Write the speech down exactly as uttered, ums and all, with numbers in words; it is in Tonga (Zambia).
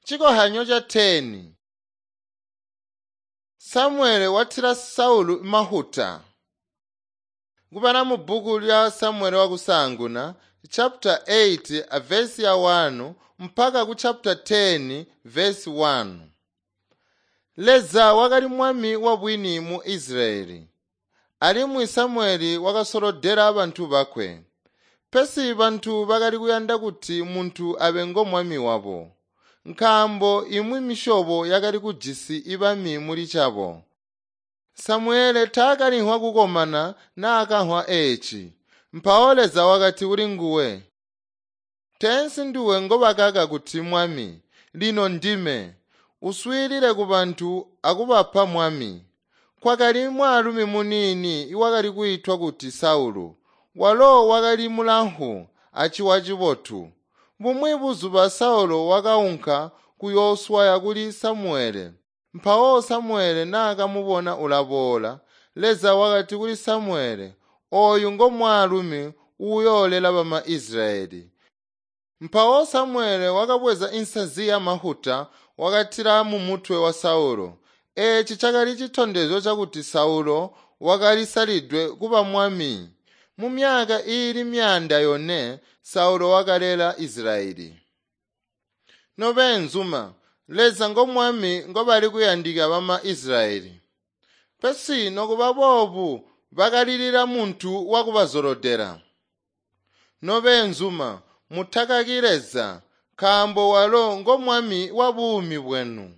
Chikohanyo cha theni Samuele wathira Saulu mahuta. Kupana mu buku lya Samuele wakusanguna chapter eight verse ya one mpaka ku chapter ten verse one. Leza wakali mwami wabwini mu Israeli. Alimwi Samueli wakasolodela bantu bakwe. Pesi bantu bakali kuyanda kuti muntu abe ngo mwami wabo. Nkaambo imwi misyobo yakali kujisi ibami muli cabo. Samuele taakalinhwa kukomana naakanhwa eeci. Mpawo Leza wakati kuli nguwe, “Teensi nduwe ngobakaka kuti mwami, lino ndime. Uswiilile kubantu akubapa mwami.” Kwakali mwaalumi muniini iwakali kwiitwa kuti Saulu. Walo wakali mulamfu aciwa cibotu. Bumwi buzuba Saulu wakaunka kuyooswaya kuli Samuele. Mpawo Samuele naakamubona ulaboola, Leza wakati kuli Samuele, “Ooyu ngo mwaalumi uuyoolela bama Israyeli.” Mpawo Samuele wakabweza insazi yamafuta wakatila mumutwe wa Saulu. Eeci cakali citondezyo cakuti Saulu wakalisalidwe kuba mwami. Mumyaka iili myaanda yone Saulu wakalela Israyeli. Nobeenzuma, Leza ngo mwami ngobali kuyandika bama Israyeli. Pesi nokuba boobu bakalilila muntu wakubazolodela. Nobeenzuma, mutakaki Leza, nkaambo walo ngo mwami wa buumi bwenu.